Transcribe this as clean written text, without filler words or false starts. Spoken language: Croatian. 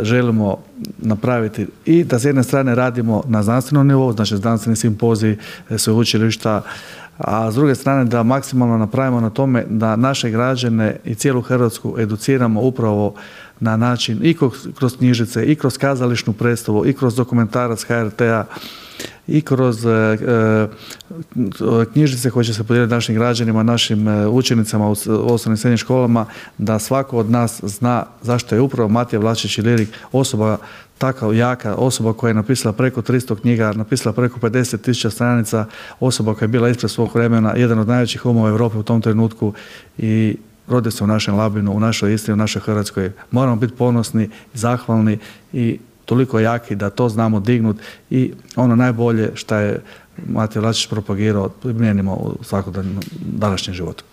Želimo napraviti i da s jedne strane radimo na znanstvenom nivou, znači znanstveni simpozij, sveučilišta, a s druge strane da maksimalno napravimo na tome da naše građane i cijelu Hrvatsku educiramo upravo na način i kroz knjižnice, i kroz kazališnu predstavu, i kroz dokumentarac HRT-a, i kroz knjižnice koje će se podijeliti našim građanima, našim učenicama u osnovnim i srednjim školama, da svako od nas zna zašto je upravo Matija Vlačić Ilirik osoba takav jaka, osoba koja je napisala preko 300 knjiga, napisala preko 50.000 stranica, osoba koja je bila ispred svog vremena, jedan od najvećih umova Europe u tom trenutku i rodio se u našem Labinu, u našoj Istri, u našoj Hrvatskoj. Moramo biti ponosni, zahvalni i toliko jaki da to znamo dignuti i ono najbolje što je Matija Vlačić propagirao primijenimo u svakodnevnom današnjem životu.